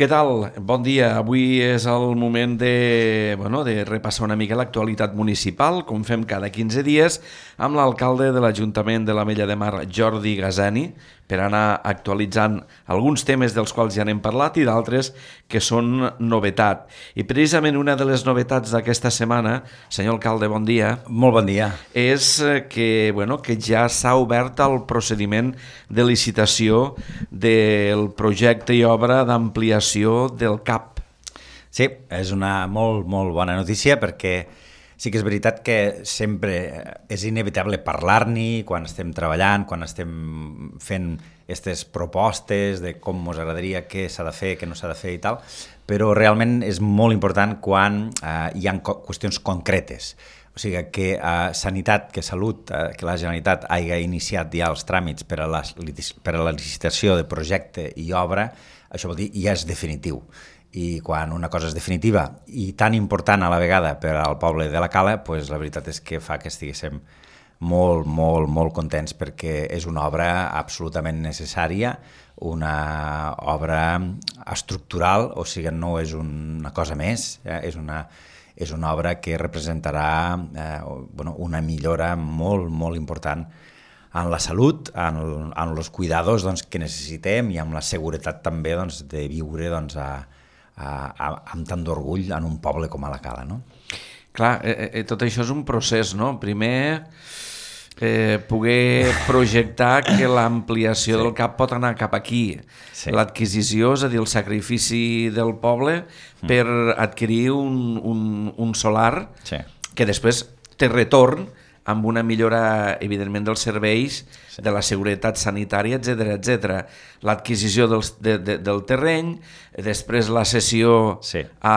Què tal? Bon dia. Avui és el moment de repassar una mica l'actualitat municipal, com fem cada 15 dies, amb l'alcalde de l'Ajuntament de l'Ametlla de Mar, Jordi Gazani, per anar actualitzant alguns temes dels quals ja n'hem parlat i d'altres que són novetat. I precisament una de les novetats d'aquesta setmana, senyor alcalde, bon dia. Molt bon dia. És que ja s'ha obert el procediment de licitació del projecte i obra d'ampliació del CAP. Sí, és una molt bona notícia perquè sí que és veritat que sempre és inevitable parlar-n'hi quan estem treballant, quan estem fent aquestes propostes de com ens agradaria, què s'ha de fer, què no s'ha de fer i tal, però realment és molt important quan hi ha qüestions concretes. O sigui, que Sanitat, que Salut, que la Generalitat hagi iniciat ja els tràmits per a la licitació de projecte i obra, això vol dir ja és definitiu. I quan una cosa és definitiva i tan important a la vegada per al poble de la Cala, doncs la veritat és que fa que estiguéssim molt contents perquè és una obra absolutament necessària, una obra estructural, o sigui, no és una cosa més, és una obra que representarà una millora molt important en la salut, en els cuidados que necessitem i amb la seguretat també de viure amb tant d'orgull en un poble com a la Cala, no? Clar, tot això és un procés, no? Primer, poder projectar que l'ampliació del CAP pot anar cap aquí. Sí. L'adquisició, és a dir, el sacrifici del poble per adquirir un solar que després té retorn amb una millora, evidentment, dels serveis, de la seguretat sanitària, etc. L'adquisició del terreny, després la cessió a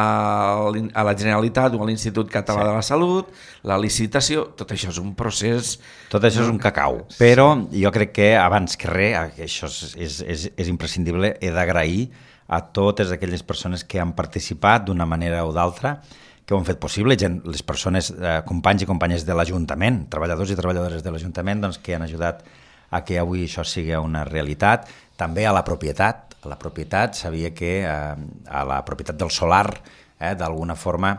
la Generalitat o a l'Institut Català de la Salut, la licitació, tot això és un procés... Tot això és un cacau, però jo crec que abans que res, això és imprescindible, he d'agrair a totes aquelles persones que han participat d'una manera o d'altra, que ho han fet possible, les persones, companys i companyes de l'Ajuntament, treballadors i treballadores de l'Ajuntament, que han ajudat a que avui això sigui una realitat. També a la propietat. A la propietat, sabia que a la propietat del solar, d'alguna forma,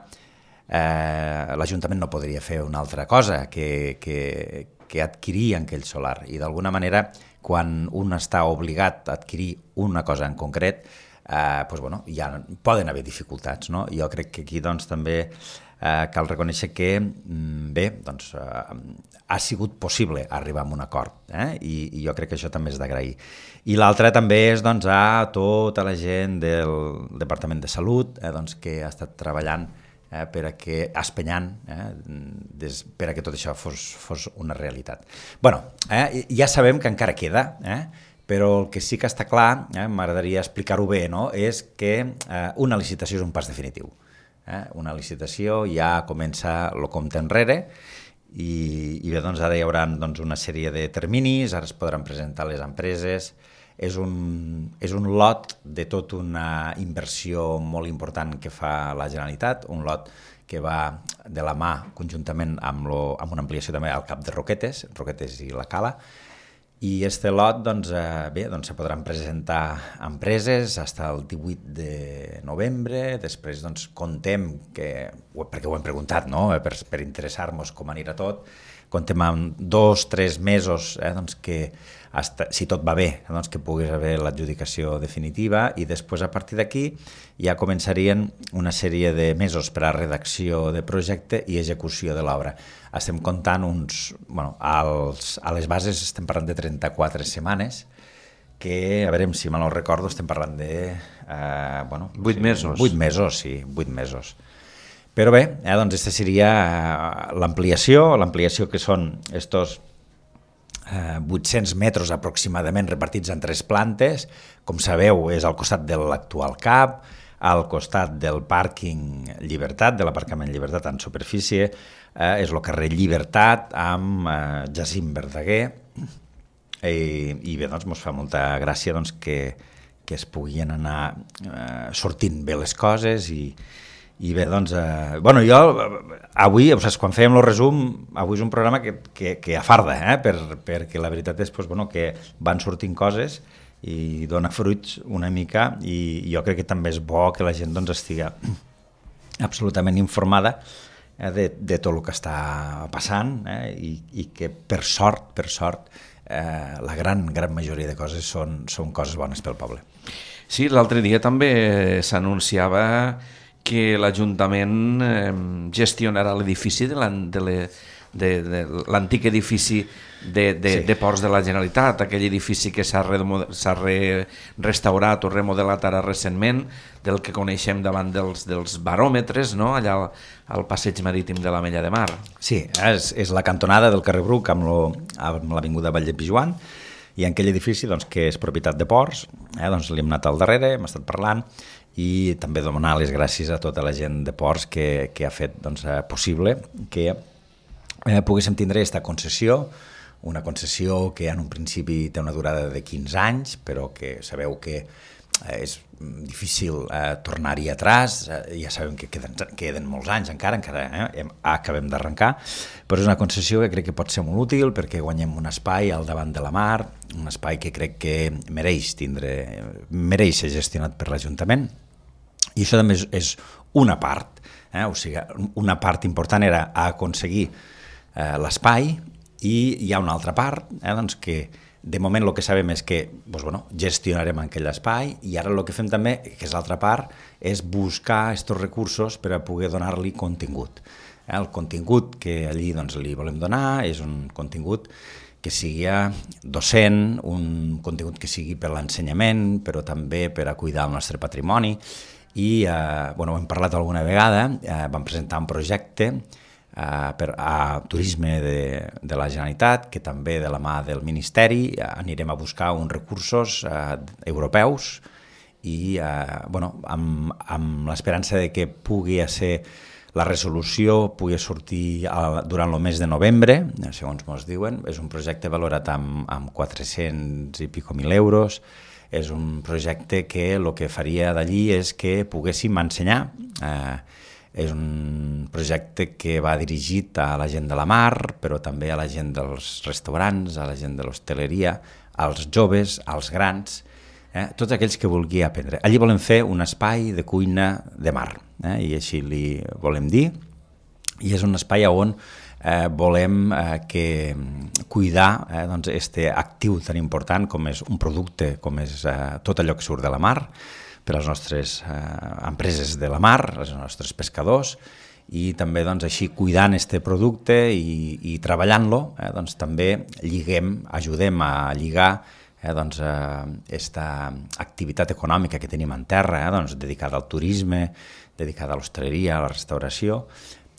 l'Ajuntament no podria fer una altra cosa que adquirir aquell solar. I d'alguna manera, quan un està obligat a adquirir una cosa en concret, ja poden haver dificultats, no? Jo crec que aquí també cal reconèixer que ha sigut possible arribar a un acord, i jo crec que això també és d'agrair. I l'altre també és a tota la gent del Departament de Salut, que ha estat treballant espenyant per a que tot això fos una realitat. Ja sabem que encara queda, però el que sí que està clar, m'agradaria explicar-ho bé, és que una licitació és un pas definitiu. Una licitació ja comença el compte enrere i bé, ara hi haurà una sèrie de terminis, ara es podran presentar les empreses, és un lot de tota una inversió molt important que fa la Generalitat, un lot que va de la mà conjuntament amb una ampliació també al cap de Roquetes i la Cala. I este lot, se podran presentar empreses fins al 18 de novembre, després contem, perquè ho hem preguntat, per interessar-nos com anirà tot, contem amb 2-3 mesos que, si tot va bé, que pogués haver l'adjudicació definitiva i després a partir d'aquí ja començarien una sèrie de mesos per a redacció de projecte i execució de l'obra. Estem comptant a les bases estem parlant de 34 setmanes, que, a veure si me no recordo, estem parlant de... 8 mesos. 8 mesos, sí, 8 mesos. Però bé, aquesta seria l'ampliació que són estos 800 metres aproximadament repartits en 3 plantes. Com sabeu, és al costat de l'actual CAP, al costat del pàrquing Llibertat, de l'aparcament Llibertat en superfície, és el carrer Llibertat amb Jacint Verdaguer, i bé, ens fa molta gràcia que es puguin anar sortint bé les coses i bé, jo avui, quan fèiem el resum, avui és un programa que afarda, perquè la veritat és que van sortint coses i dona fruits una mica, i jo crec que també és bo que la gent doncs, estigui absolutament informada de tot el que està passant, i que per sort la gran majoria de coses són coses bones pel poble. Sí, l'altre dia també s'anunciava que l'Ajuntament gestionarà l'edifici de l'antic edifici de Ports de la Generalitat, aquell edifici que s'ha restaurat o remodelat ara recentment, del que coneixem davant dels baròmetres, no? Allà al passeig marítim de l'Ametlla de Mar. Sí, és la cantonada del carrer Bruc amb l'avinguda Vall de Pijuan, i en aquell edifici doncs, que és propietat de Ports, doncs li hem anat al darrere, hem estat parlant, i també donar les gràcies a tota la gent de Ports que ha fet doncs, possible que poguéssim tindre aquesta concessió, una concessió que en un principi té una durada de 15 anys, però que sabeu que és difícil tornar-hi atràs, ja sabem que queden molts anys encara acabem d'arrencar, però és una concessió que crec que pot ser molt útil perquè guanyem un espai al davant de la mar, un espai que crec que mereix ser gestionat per l'Ajuntament, i això també és una part, o sigui, una part important era aconseguir l'espai, i hi ha una altra part doncs que de moment el que sabem és que gestionarem aquell espai, i ara el que fem també, que és l'altra part, és buscar aquests recursos per a poder donar-li contingut. El contingut que allí li volem donar és un contingut que sigui docent, un contingut que sigui per l'ensenyament, però també per a cuidar el nostre patrimoni, i ho hem parlat alguna vegada, vam presentar un projecte a Turisme de la Generalitat, que també de la mà del Ministeri anirem a buscar uns recursos europeus, i amb l'esperança de que pugui ser la resolució pugui sortir durant el mes de novembre, segons ens diuen. És un projecte valorat amb 400 i pico mil euros. És un projecte que el que faria d'allí és que poguéssim ensenyar. És un projecte que va dirigit a la gent de la mar, però també a la gent dels restaurants, a la gent de l'hostaleria, als joves, als grans, tots aquells que vulgui aprendre. Allí volem fer un espai de cuina de mar, i així li volem dir, i és un espai on volem cuidar aquest actiu tan important com és un producte, com és tot allò que surt de la mar, per a les nostres empreses de la mar, els nostres pescadors, i també així cuidant aquest producte i treballant-lo, també ajudem a lligar aquesta activitat econòmica que tenim en terra, dedicada al turisme, dedicada a l'hostaleria, a la restauració,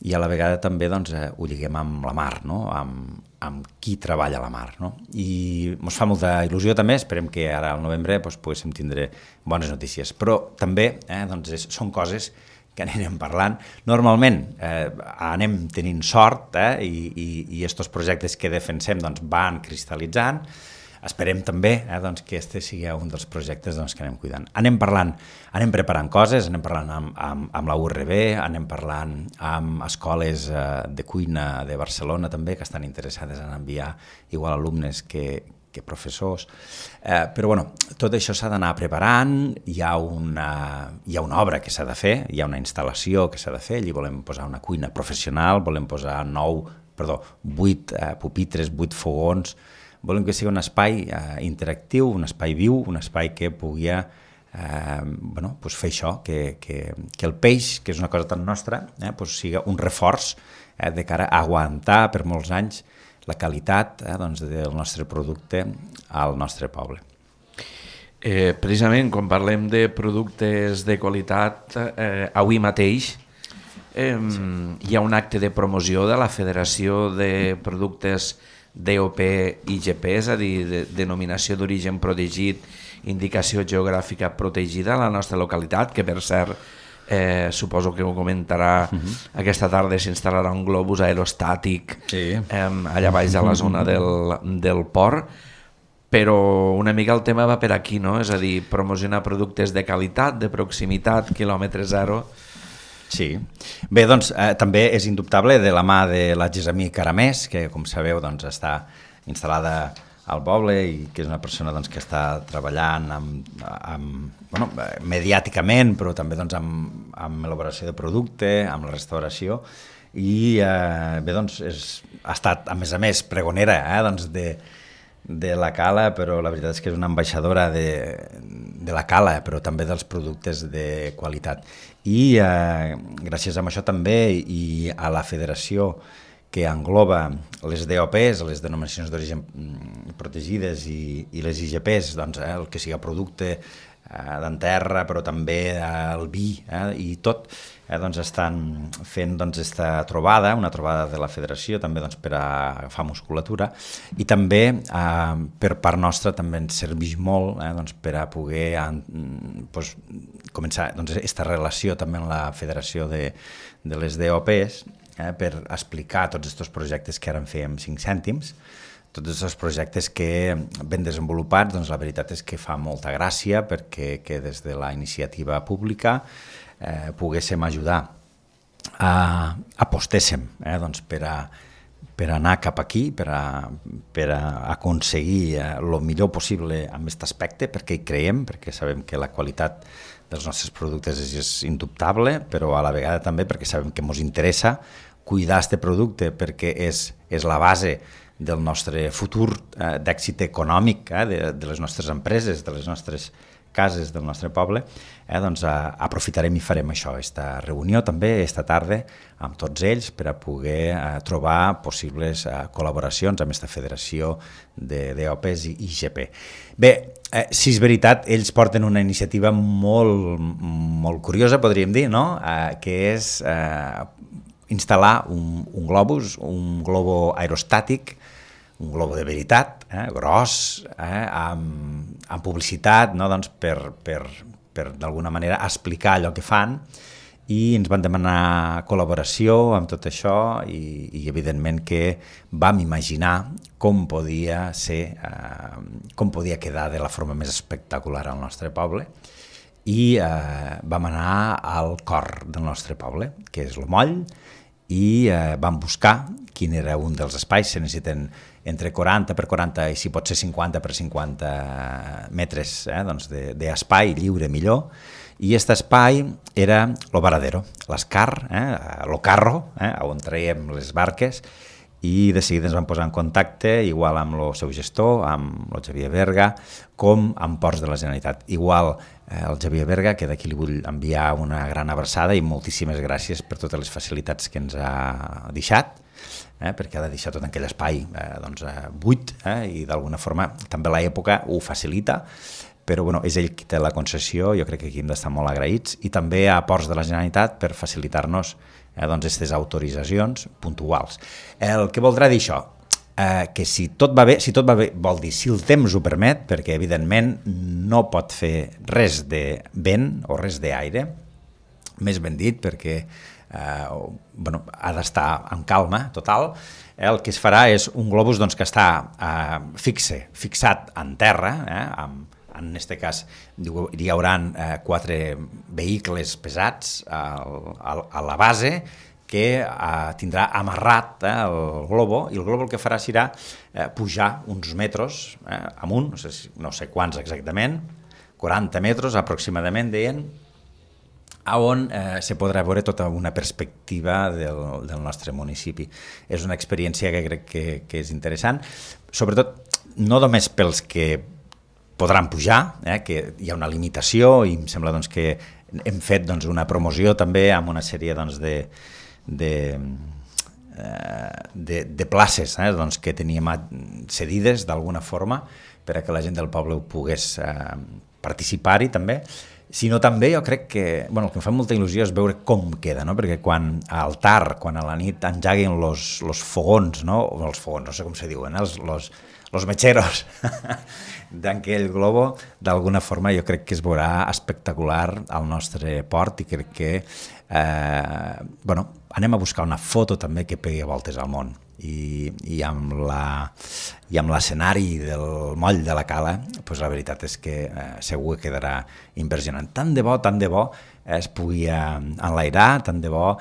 i a la vegada també ho lliguem amb la mar, amb qui treballa a la mar. I ens fa molta il·lusió també, esperem que ara al novembre poguéssim tindre bones notícies. Però també són coses que anirem parlant. Normalment anem tenint sort, i aquests projectes que defensem van cristal·litzant. Esperem també que aquest sigui un dels projectes que anem cuidant. Anem parlant, anem preparant coses, anem parlant amb la URB, anem parlant amb escoles de cuina de Barcelona també, que estan interessades en enviar igual alumnes que professors. Però tot això s'ha d'anar preparant, hi ha una obra que s'ha de fer, hi ha una instal·lació que s'ha de fer, allí volem posar una cuina professional, volem posar 8 pupitres, 8 fogons. Volem que sigui un espai interactiu, un espai viu, un espai que pugui fer això, que el peix, que és una cosa tan nostra, sigui un reforç de cara a aguantar per molts anys la qualitat del nostre producte al nostre poble. Precisament, quan parlem de productes de qualitat, avui mateix hi ha un acte de promoció de la Federació de Productes DOP IGP, és a dir, denominació d'origen protegit, indicació geogràfica protegida a la nostra localitat, que per cert, suposo que ho comentarà, aquesta tarda s'instal·larà un globus aerostàtic allà baix a la zona del port, però una mica el tema va per aquí, no? És a dir, promocionar productes de qualitat, de proximitat, quilòmetre zero. Sí. Bé, doncs també és indubtable de la mà de la Gessamí Caramès, que com sabeu està instal·lada al poble i que és una persona doncs, que està treballant bueno, mediàticament, però també doncs, amb elaboració de producte, amb la restauració, i bé, doncs, ha estat, a més, pregonera doncs, de la cala, però la veritat és que és una ambaixadora de la cala, però també dels productes de qualitat. I gràcies a això també i a la federació que engloba les DOPs, les denominacions d'origen protegides i les IGPs, doncs, el que sigui producte d'enterra, però també el vi i tot, doncs estan fent esta trobada, una trobada de la federació també doncs, per a agafar musculatura, i també per part nostra també ens serveix molt doncs, per a poder doncs, començar aquesta relació també amb la federació de les DOPs, per explicar tots aquests projectes que ara en fèiem 5 cèntims, tots aquests projectes que ben desenvolupats, doncs la veritat és que fa molta gràcia perquè que des de la iniciativa pública poguéssim ajudar apostéssim doncs per anar cap aquí, per a aconseguir el millor possible en aquest aspecte, perquè hi creiem, perquè sabem que la qualitat dels nostres productes és indubtable, però a la vegada també perquè sabem que ens interessa cuidar aquest producte perquè és la base del nostre futur d'èxit econòmic, de les nostres empreses, de les nostres cases del nostre poble, doncs aprofitarem i farem això, aquesta reunió també, esta tarda, amb tots ells per a poder trobar possibles col·laboracions amb aquesta federació de DOPs i IGP. Bé, si és veritat, ells porten una iniciativa molt curiosa, podríem dir, no? Que és instal·lar un globus, un globo aerostàtic, un globo de veritat, gros, amb publicitat, no? Doncs per d'alguna manera explicar allò que fan, i ens van demanar col·laboració amb tot això i evidentment que vam imaginar com podia ser, com podia quedar de la forma més espectacular al nostre poble, i vam anar al cor del nostre poble, que és el Moll, i vam buscar quin era un dels espais. Se necessiten entre 40 per 40 i si pot ser 50 per 50 metres doncs d'espai lliure millor, i aquest espai era el varadero, l'escar, el carro, on traiem les barques, i de seguida ens vam posar en contacte igual amb el seu gestor, amb el Xavier Berga, com amb Ports de la Generalitat. Igual el Xavier Berga, que d'aquí li vull enviar una gran abraçada i moltíssimes gràcies per totes les facilitats que ens ha deixat, perquè ha de deixar tot aquell espai buit, i d'alguna forma també l'època ho facilita, però bueno, és ell qui té la concessió, jo crec que aquí hem d'estar molt agraïts, i també a Ports de la Generalitat per facilitar-nos aquestes autoritzacions puntuals. El que voldrà dir això? Que si tot va bé vol dir si el temps ho permet, perquè evidentment no pot fer res de vent o res d'aire, més ben dit, perquè ha d'estar en calma total. El que es farà és un globus que està fixat en terra, en aquest cas hi haurà 4 vehicles pesats a la base, que tindrà amarrat el globo, i el globo el que farà serà pujar uns metres amunt, no sé quants exactament, 40 metres aproximadament, deien, on se podrà veure tota una perspectiva del nostre municipi. És una experiència que crec que és interessant, sobretot no només pels que podran pujar, que hi ha una limitació, i em sembla que hem fet una promoció també amb una sèrie de places que teníem cedides d'alguna forma per a que la gent del poble pogués participar-hi també, sinó també jo crec que el que em fa molta il·lusió és veure com queda, perquè quan al tard, quan a la nit engeguin els fogons, no sé com se diuen, els metxeros d'aquell globo, d'alguna forma jo crec que es veurà espectacular al nostre port, i crec que anem a buscar una foto també que pegui voltes al món, i amb l'escenari del Moll de la Cala, la veritat és que segur que quedarà impressionant. Tant de bo es pugui enlairar, tant de bo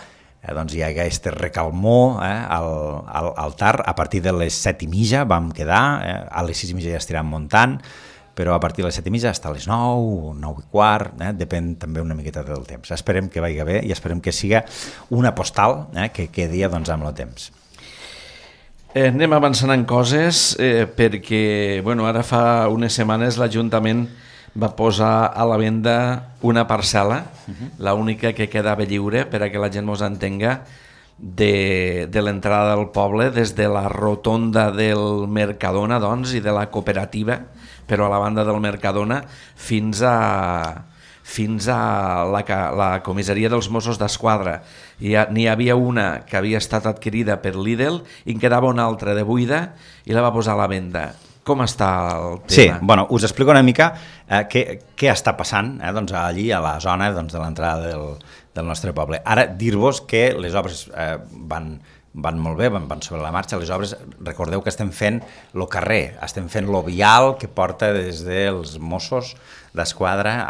doncs hi hagués aquest recalmó al TAR. A partir de les 7:30 vam quedar, a les 6:30 ja estiràvem muntant, però a partir de les 7:30 fins a les 9, 9:15, depèn també una miqueta del temps. Esperem que vagi bé i esperem que siga una postal que quedi doncs, amb el temps. Anem avançant en coses perquè ara fa unes setmanes l'Ajuntament va posar a la venda una parcel·la, l'única que quedava lliure, per a que la gent mos entenga, de l'entrada del poble, des de la rotonda del Mercadona, doncs, i de la cooperativa, però a la banda del Mercadona, fins a la comissaria dels Mossos d'Esquadra. N'hi havia una que havia estat adquirida per Lidl i en quedava una altra de buida i la va posar a la venda. Com està el tema? Sí, us explico una mica què està passant doncs, allí a la zona doncs, de l'entrada del nostre poble. Ara, dir-vos que les obres van molt bé, van sobre la marxa. Les obres, recordeu que estem fent el carrer, estem fent el vial que porta des dels Mossos d'Esquadra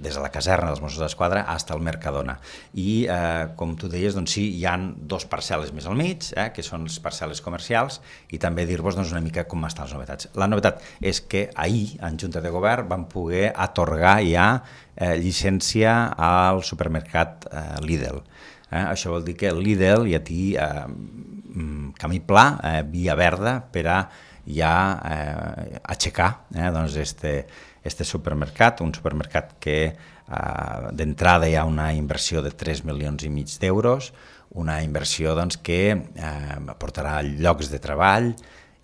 des de la caserna dels Mossos d'Esquadra fins al Mercadona. I, com tu deies, doncs sí, hi ha 2 parcel·les més al mig, que són les parcel·les comercials, i també dir-vos una mica com estan les novetats. La novetat és que ahir, en Junta de Govern, vam poder atorgar ja llicència al supermercat Lidl. Això vol dir que el Lidl ja té camí pla, via verda, per a ja aixecar este supermercat, un supermercat que d'entrada hi ha una inversió de 3,5 milions d'euros, una inversió doncs, que aportarà llocs de treball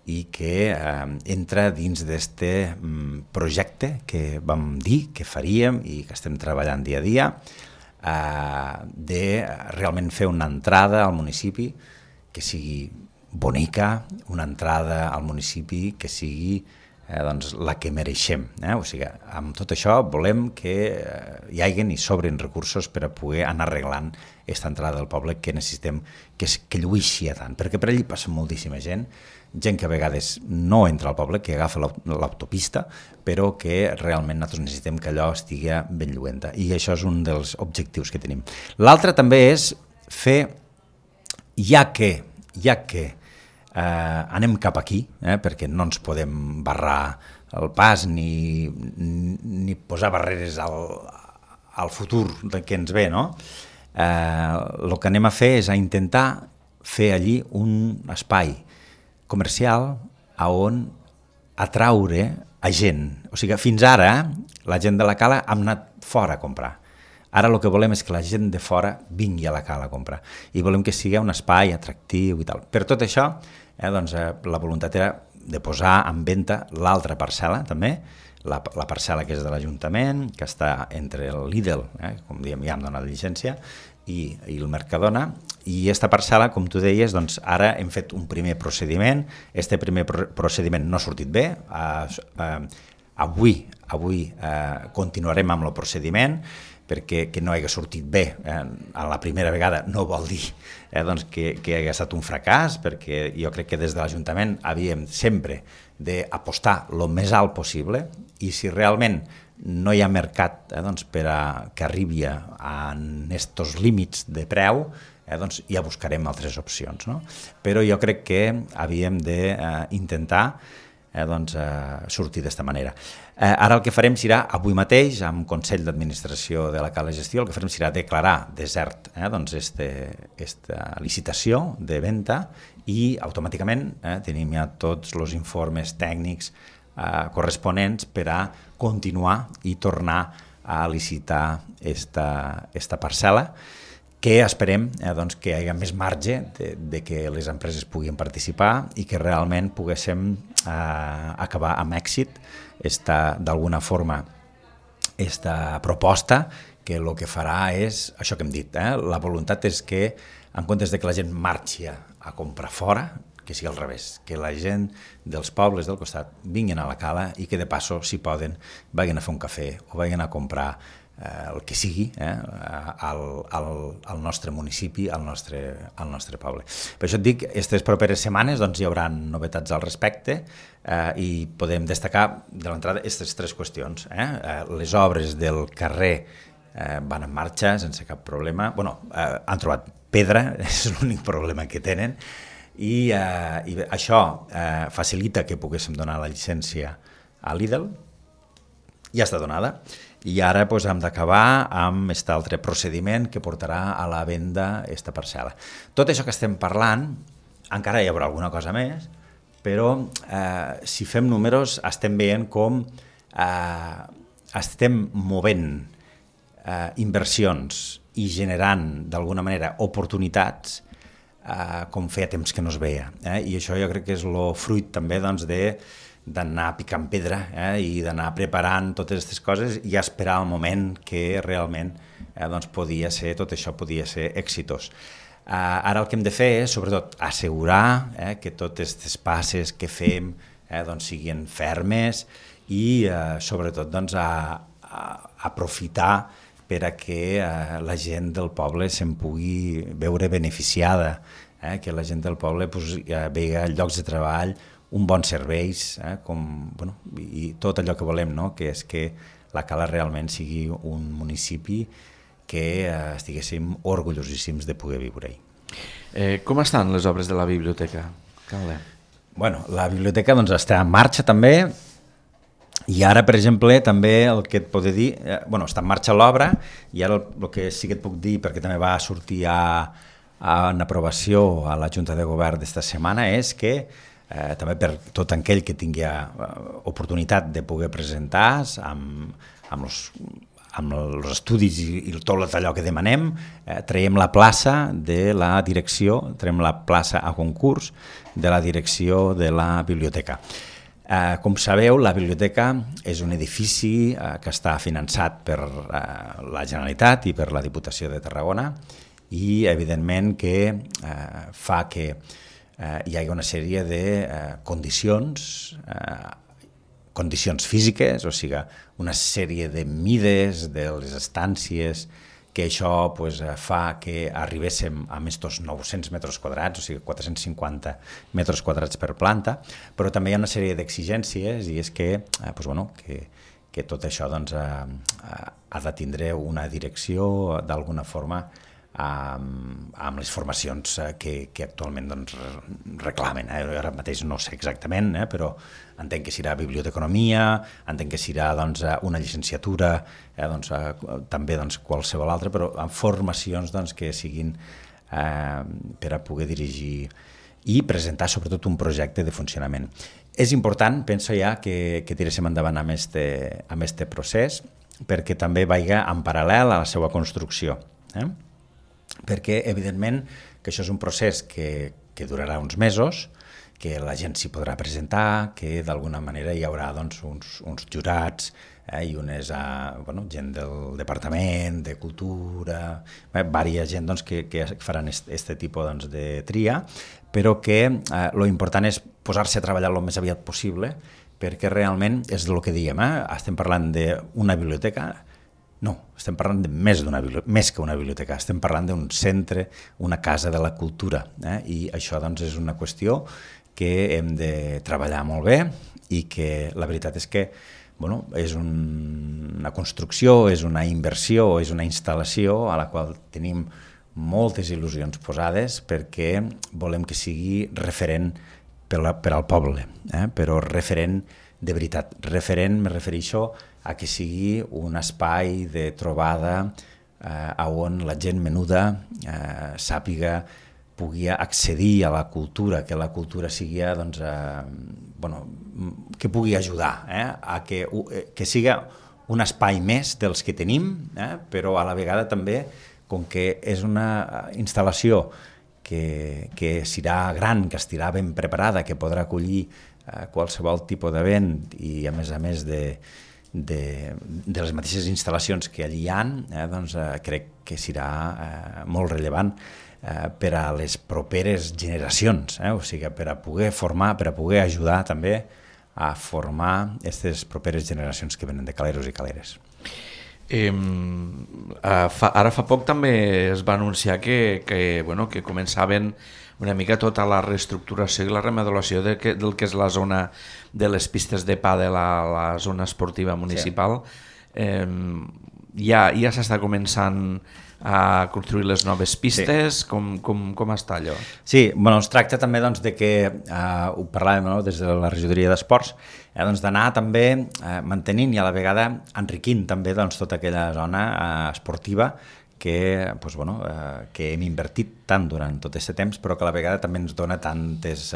i que entra dins d'aquest projecte que vam dir que faríem i que estem treballant dia a dia, de realment fer una entrada al municipi que sigui bonica, una entrada al municipi que sigui doncs, la que mereixem. O sigui, amb tot això volem que hi hagin i sobrin recursos per a poder anar arreglant aquesta entrada del poble que necessitem que lluïxi tant, perquè per allí passa moltíssima gent que a vegades no entra al poble, que agafa l'autopista, però que realment nosaltres necessitem que allò estigui ben lluenta, i això és un dels objectius que tenim. L'altre també és fer, ja que anem cap aquí, perquè no ens podem barrar el pas ni posar barreres al futur que ens ve, no? El que anem a fer és a intentar fer allí un espai comercial on atraure a gent. O sigui, fins ara la gent de la Cala hem anat fora a comprar. Ara el que volem és que la gent de fora vingui a la Cala a comprar i volem que sigui un espai atractiu i tal. Per tot això, doncs, la voluntat era de posar en venda l'altra parcel·la també, la parcel·la que és de l'Ajuntament, que està entre el Lidl, com diem, ja hem donat llicència, i el Mercadona, i aquesta parcel·la, com tu deies, doncs ara hem fet un primer procediment. Este primer procediment no ha sortit bé. Avui continuarem amb el procediment, perquè que no hagi sortit bé a la primera vegada no vol dir doncs que hagi estat un fracàs, perquè jo crec que des de l'Ajuntament havíem sempre d'apostar el més alt possible, i si realment no hi ha mercat doncs, per a que arribi a aquests límits de preu, doncs ja buscarem altres opcions, no? Però jo crec que havíem d'intentar sortir d'esta manera. Ara el que farem serà, avui mateix, amb Consell d'Administració de la Cala Gestió, el que farem serà declarar desert aquesta licitació de venda, i automàticament tenim ja tots els informes tècnics corresponents per a continuar i tornar a licitar esta parcel·la, que esperem que hi hagi més marge de que les empreses puguin participar i que realment poguéssim acabar amb èxit d'alguna forma aquesta proposta, que el que farà és això que hem dit. La voluntat és que, en comptes de que la gent marxi a comprar fora, que sigui al revés, que la gent dels pobles del costat vinguin a la Cala i que de passo, si poden, vagin a fer un cafè o vagin a comprar el que sigui al nostre municipi, al nostre poble. Per això et dic, aquestes properes setmanes hi haurà novetats al respecte, i podem destacar de l'entrada aquestes 3 qüestions. Les obres del carrer van en marxa sense cap problema. Han trobat pedra, és l'únic problema que tenen, i això facilita que poguéssim donar la llicència a Lidl, ja està donada, i ara hem d'acabar amb aquest altre procediment que portarà a la venda aquesta parcel·la. Tot això que estem parlant, encara hi haurà alguna cosa més, però si fem números estem veient com estem movent inversions i generant d'alguna manera oportunitats com feia temps que no es veia. I això jo crec que és el fruit també d'anar picant pedra i d'anar preparant totes aquestes coses i esperar el moment que realment tot això podia ser exitós. Ara el que hem de fer és, sobretot, assegurar que totes aquestes passes que fem siguin fermes i, sobretot, aprofitar per a que la gent del poble se'n pugui veure beneficiada, que la gent del poble vegi llocs de treball, un bon serveis, i tot allò que volem, que és que la Cala realment sigui un municipi que estiguéssim orgullosíssims de poder viure-hi. Com estan les obres de la biblioteca, Carle? La biblioteca està en marxa també, i ara, per exemple, també el que et puc dir, està en marxa l'obra, i ara el que sí que et puc dir, perquè també va sortir en aprovació a la Junta de Govern d'esta setmana, és que també per tot aquell que tingui oportunitat de poder presentar amb els estudis i tot allò que demanem, traiem la plaça de la direcció, traiem la plaça a concurs de la direcció de la biblioteca. Com sabeu, la biblioteca és un edifici que està finançat per la Generalitat i per la Diputació de Tarragona i, evidentment, que fa que hi hagi una sèrie de condicions físiques, o sigui, una sèrie de mides de les estàncies, que això fa que arribéssim a aquests 900 metres quadrats, o sigui, 450 metres quadrats per planta, però també hi ha una sèrie d'exigències i és que tot això ha de tindre una direcció d'alguna forma amb les formacions que actualment reclamen. Ara mateix no sé exactament, però entenc que serà biblioteconomia, entenc que serà una llicenciatura, també qualsevol altra, però amb formacions que siguin per a poder dirigir i presentar sobretot un projecte de funcionament. És important, penso ja, que tiréssim endavant amb aquest procés perquè també vagi en paral·lel a la seva construcció. Perquè, evidentment, que això és un procés que durarà uns mesos, que la gent s'hi podrà presentar, que d'alguna manera hi haurà uns jurats i gent del Departament de Cultura, diversa gent que faran aquest tipus de tria, però que l'important és posar-se a treballar el més aviat possible, perquè realment és el que diem, estem parlant d'una biblioteca. No, estem parlant de més que una biblioteca, estem parlant d'un centre, una casa de la cultura, i això és una qüestió que hem de treballar molt bé i que la veritat és que és una construcció, és una inversió, és una instal·lació a la qual tenim moltes il·lusions posades perquè volem que sigui referent per al poble, però referent de veritat. Referent, me refereixo a que sigui un espai de trobada on la gent menuda sàpiga, pugui accedir a la cultura, que la cultura sigui, que pugui ajudar a que sigui un espai més dels que tenim, però a la vegada també, com que és una instal·lació que serà gran, que estarà ben preparada, que podrà acollir qualsevol tipus d'event i a més de les mateixes instal·lacions que allí hi ha, crec que serà molt rellevant per a les properes generacions, o sigui, per a poder formar, per a poder ajudar també a formar aquestes properes generacions que venen de caleros i caleres. Ara fa poc també es va anunciar que començaven una mica tota la reestructuració i la remodelació del que és la zona de les pistes de pàdel a la zona esportiva municipal. Sí. ja s'està començant a construir les noves pistes, com està allò? Sí, es tracta també de que, ho parlàvem des de la regidoria d'esports, d'anar també mantenint i a la vegada enriquint també tota aquella zona esportiva que hem invertit tant durant tot aquest temps, però que a la vegada també ens dona tants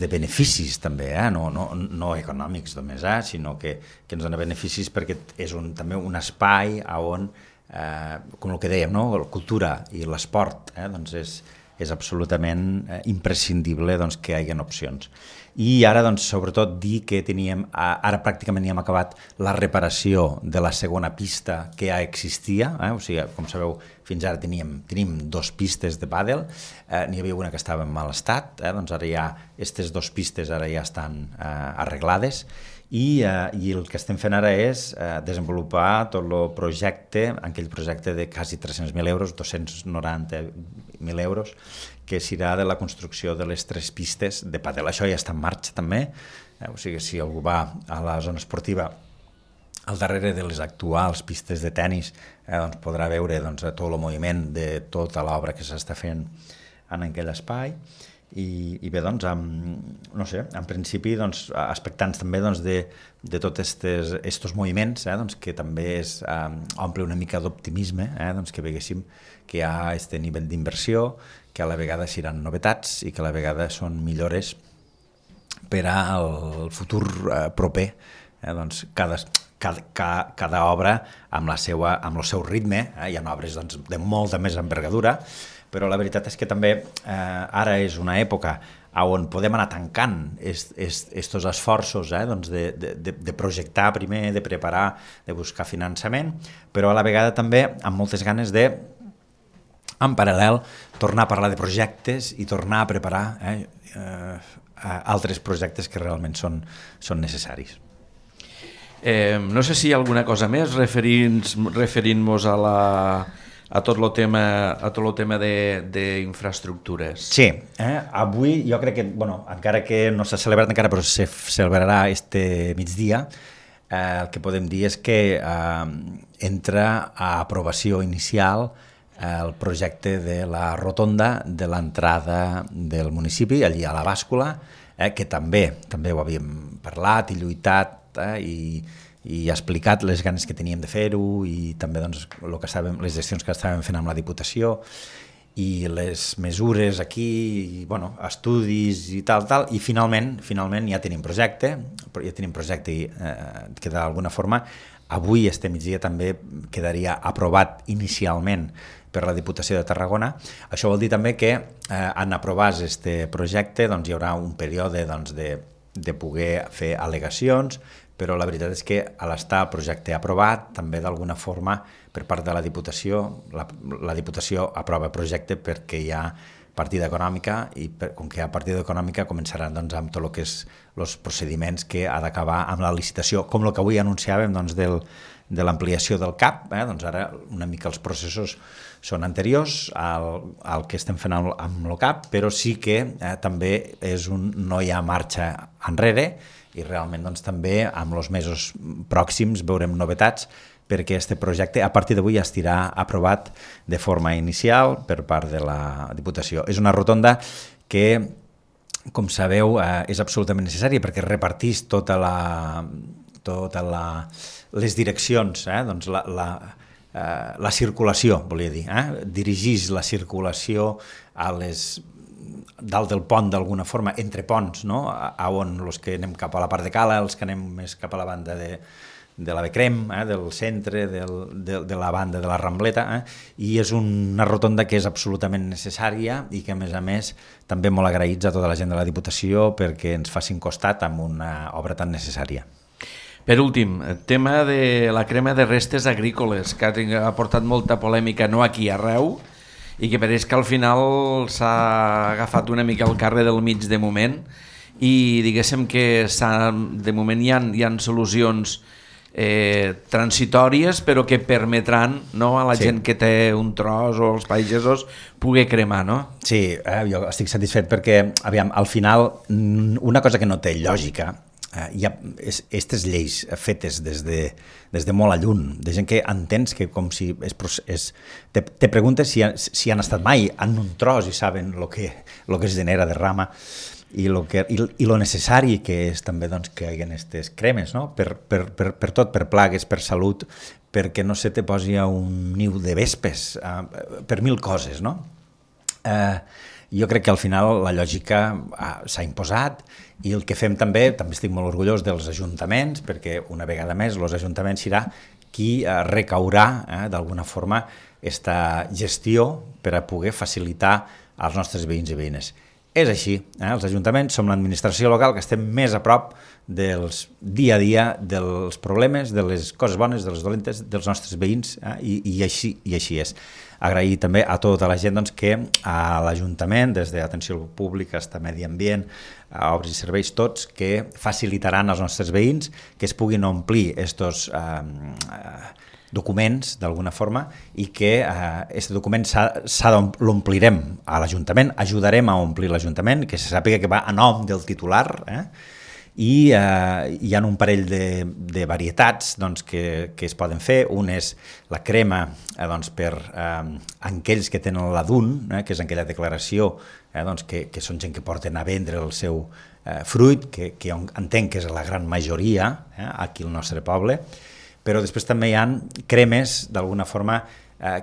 de beneficis també, no econòmics només, sinó que ens dona beneficis perquè és també un espai on, com el que dèiem, la cultura i l'esport és absolutament imprescindible que hi hagi opcions. I ara, sobretot, dir que ara pràcticament ja hem acabat la reparació de la segona pista que ja existia, o sigui, com sabeu, fins ara tenim 2 pistes de pàdel, n'hi havia una que estava en mal estat, ara ja aquestes 2 pistes ara ja estan arreglades, i el que estem fent ara és desenvolupar tot el projecte, aquell projecte de quasi 300.000 euros, 290.000 euros, que serà de la construcció de les 3 pistes de pàdel. Això ja està en marxa també, o sigui, si algú va a la zona esportiva al darrere de les actuals pistes de tennis podrà veure tot el moviment de tota l'obra que s'està fent en aquell espai. I bé, en principi expectants també de tots aquests moviments que també omple una mica d'optimisme, que veiéssim que hi ha aquest nivell d'inversió, que a la vegada seran novetats i que a la vegada són millores per al futur proper. Cada obra amb el seu ritme, hi ha obres de molta més envergadura, però la veritat és que també ara és una època on podem anar tancant aquests esforços de projectar primer, de preparar, de buscar finançament, però a la vegada també amb moltes ganes de, en paral·lel, tornar a parlar de projectes i tornar a preparar altres projectes que realment són necessaris. No sé si hi ha alguna cosa més referint-nos a tot el tema d'infraestructures. Sí, avui jo crec que, encara que no s'ha celebrat encara, però se celebrarà este migdia, el que podem dir és que entra a aprovació inicial el projecte de la rotonda de l'entrada del municipi, allí a la bàscula, que també ho havíem parlat i lluitat i explicat les ganes que teníem de fer-ho i també les gestions que estàvem fent amb la Diputació i les mesures aquí, estudis i tal, i finalment ja tenim projecte que d'alguna forma avui, este migdia, també quedaria aprovat inicialment per la Diputació de Tarragona. Això vol dir també que en aprovar aquest projecte hi haurà un període de poder fer al·legacions, però la veritat és que a l'estar el projecte aprovat, també d'alguna forma per part de la Diputació, la Diputació aprova el projecte perquè hi ha partida econòmica i com que hi ha partida econòmica començaran amb tot el que és els procediments que ha d'acabar amb la licitació, com el que avui anunciàvem de l'ampliació del CAP, ara una mica els processos són anteriors al que estem fent amb el CAP, però sí que també no hi ha marxa enrere i realment també amb els mesos pròxims veurem novetats perquè aquest projecte a partir d'avui ja estirà aprovat de forma inicial per part de la Diputació. És una rotonda que, com sabeu, és absolutament necessària perquè repartís totes les direccions, la circulació, volia dir, dirigís la circulació a dalt del pont d'alguna forma, entre ponts, on els que anem cap a la part de Cala, els que anem més cap a la banda de la Becrem, del centre, de la banda de la Rambleta, i és una rotonda que és absolutament necessària i que, a més, també molt agraïts a tota la gent de la Diputació perquè ens facin costat amb una obra tan necessària. Per últim, el tema de la crema de restes agrícoles, que ha portat molta polèmica, no aquí, arreu, i que pareix que al final s'ha agafat una mica el carrer del mig de moment i diguéssim que de moment hi ha solucions transitòries però que permetran a la gent que té un tros o els pagesos poder cremar, no? Sí, jo estic satisfet perquè, al final, una cosa que no té lògica hi ha aquestes lleis fetes des de molt a lluny, de gent que entens que com si te preguntes si han estat mai en un tros i saben lo que es genera de rama i lo necessari que és també doncs, que hi hagi aquestes cremes, no? per tot, per plagues, per salut, perquè no se te posi a un niu de vespes, per mil coses, no? Jo crec que al final la lògica s'ha imposat i el que fem també estic molt orgullós dels ajuntaments, perquè una vegada més els ajuntaments serà qui recaurà d'alguna forma aquesta gestió per a poder facilitar als nostres veïns i veïnes. És així, els ajuntaments som l'administració local que estem més a prop dels dia a dia, dels problemes, de les coses bones, de les dolentes, dels nostres veïns, i així és. Agrair també a tota la gent doncs, que a l'Ajuntament, des d'atenció pública fins a medi ambient, a obres i serveis, tots, que facilitaran als nostres veïns que es puguin omplir estos documents d'alguna forma i que aquest document l'omplirem a l'Ajuntament, ajudarem a omplir l'Ajuntament, que se sàpiga que va a nom del titular, i hi ha un parell de varietats doncs, que es poden fer. Un és la crema doncs, per aquells que tenen la DUN, que és aquella declaració doncs, que són gent que porten a vendre el seu fruit, que entenc que és la gran majoria aquí al nostre poble, però després també hi ha cremes d'alguna forma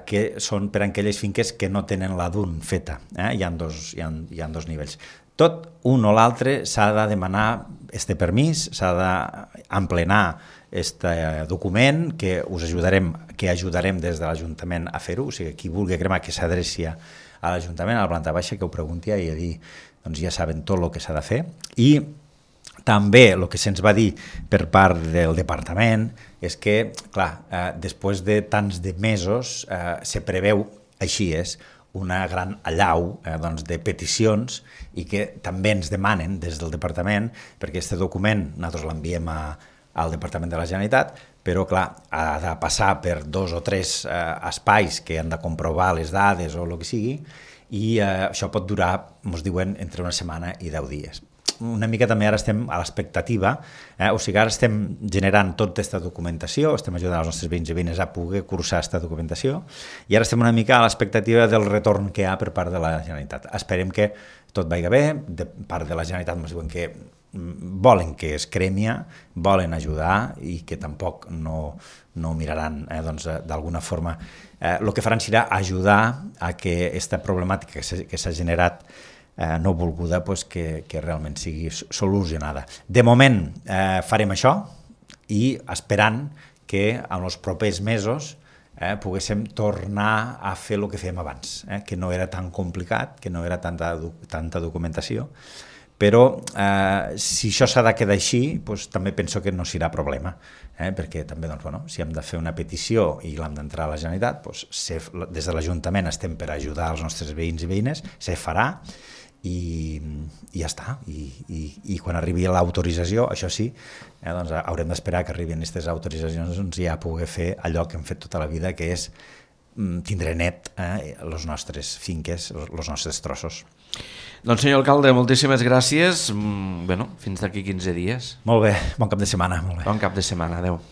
que són per a aquelles finques que no tenen la DUN feta. Hi ha dos nivells. Tot un o l'altre s'ha de demanar este permís, s'ha d'emplenar este document que ajudarem des de l'Ajuntament a fer-ho, o sigui, qui vulgui cremar que s'adreci a l'Ajuntament, a la planta baixa, que ho pregunti i allí doncs ja saben tot el que s'ha de fer. I també el que se'ns va dir per part del departament és que, clar, després de tants de mesos se preveu, així és, una gran allau doncs, de peticions i que també ens demanen des del departament, perquè aquest document nosaltres l'enviem al Departament de la Generalitat, però clar, ha de passar per 2 o 3 espais que han de comprovar les dades o el que sigui, i això pot durar, ens diuen, entre una setmana i 10 dies. Una mica també ara estem a l'expectativa, o sigui, ara estem generant tota aquesta documentació, estem ajudant els nostres veïns i veïnes a poder cursar aquesta documentació, i ara estem una mica a l'expectativa del retorn que hi ha per part de la Generalitat. Esperem que tot vagi bé, de part de la Generalitat ens diuen que volen que es cremia, volen ajudar i que tampoc no miraran doncs, d'alguna forma. El que faran serà ajudar a que aquesta problemàtica que s'ha generat no volguda pues, que realment sigui solucionada. De moment farem això i esperant que en els propers mesos poguéssim tornar a fer el que fèiem abans, que no era tan complicat, que no era tanta documentació, però si això s'ha de quedar així, doncs, també penso que no serà problema, perquè també doncs, bueno, si hem de fer una petició i l'hem d'entrar a la Generalitat, doncs, des de l'Ajuntament estem per ajudar els nostres veïns i veïnes, se farà, i ja està, i quan arribi l'autorització, això sí, doncs haurem d'esperar que arribin aquestes autoritzacions doncs ja poder fer allò que hem fet tota la vida, que és tindre net les nostres finques, els nostres trossos. Doncs senyor alcalde, moltíssimes gràcies. Fins d'aquí 15 dies. Molt bé, bon cap de setmana. Bon cap de setmana, adeu.